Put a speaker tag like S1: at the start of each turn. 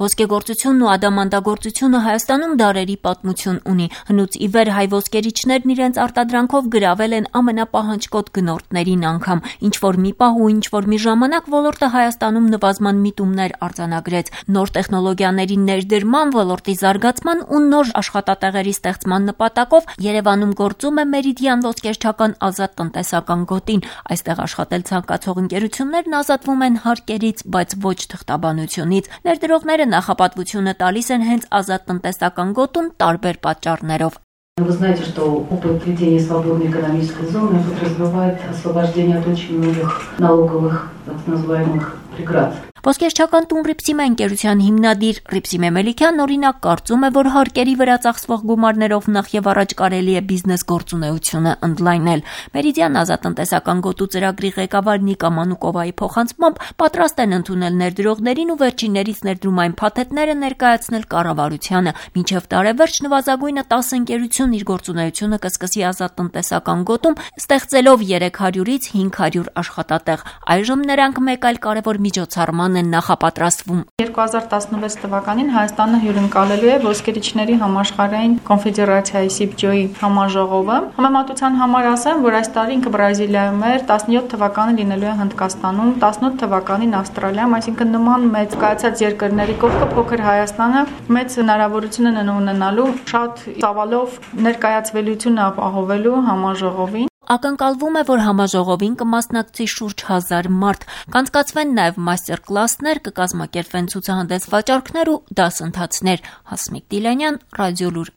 S1: Ոսկեգործությունն ու ադամանդագործությունը Հայաստանում դարերի պատմություն ունի։ Հնուց ի վեր հայ ոսկերիչներն իրենց արտադրանքով գրավել են ամենապահանջկոտ գնորդներին անգամ։ Ինչ-որ մի պահ ու ինչ-որ մի ժամանակ ոլորտը Հայաստանում նվազման միտումներ արձանագրեց։ Նոր տեխնոլոգիաների ներդրման, ոլորտի զարգացման ու նոր աշխատատեղերի ստեղծման նպատակով Երևանում գործում է Մերիդիան ոսկերչական ազատ տնտեսական գոտին։ Այստեղ աշխատել ցանկացող ընկերություններն ազատվում են հարկերից, բայց ոչ թղթաբանությունից։ Ներդրողները նախապատվությունը տալիս են հենց ազատ տնտեսական գոտում տարբեր պատճառներով։
S2: Вы знаете, что опыт введения свободной экономической зоны подразумевает освобождение от очень многих налоговых, так называемых, преград.
S1: Ոսկերչական տուն Ռիփսիմե ընկերության հիմնադիր Ռիփսիմե Մելիքյանն օրինակ կարծում է, որ հարկերի վրա ծախսվող գումարներով նախ եւ առաջ կարելի է բիզնես գործունեությունը ընդլայնել։ Մերիդիան ազատ տնտեսական գոտու ծրագրի ղեկավար Նիկա Մանուկովայի փոխանցմամբ պատրաստ են ընդունել ներդրողներին ու վերջիններից ներդրումային փաթեթները ներկայացնել կառավարությանը։ Մինչև տարեվերջ նվազագույնը 10 ընկերություն իր գործունեությունը կսկսի ազատ տնտեսական գոտում, ստեղծելով 300-ից 500 աշխատատեղ։ Այժմ նրանք մեկ այլ կարևոր միջոցառման են նախապատրաստվում։
S3: 2016 թվականին Հայաստանը հյուրընկալելու է ոսկերիչների համաշխարհային կոնֆեդերացիայի SIPJO-ի համաժողովը։ Համեմատության համար ասեմ, որ այս տարի ինքը Բրազիլիայում էր, 17 թվականին լինելու է Հնդկաստանում, 18 թվականին Ավստրալիայում, այսինքն նման մեծ կայացած երկրների կողքը փոքր Հայաստանը մեծ հնարավորություն են ունենալու շատ ծավալով ներկայացվելիություն ապահովելու համաժողովին։
S1: Ակնկալվում է, որ համաժողովին կմասնակցի շուրջ 1000 մարդ, կանցկացվեն նաև մաստեր-կլասներ, կկազմակերպվեն ցուցահանդես վաճառքներ ու դասընթացներ։ Հասմիկ Դիլանյան, Ռադիոլուր։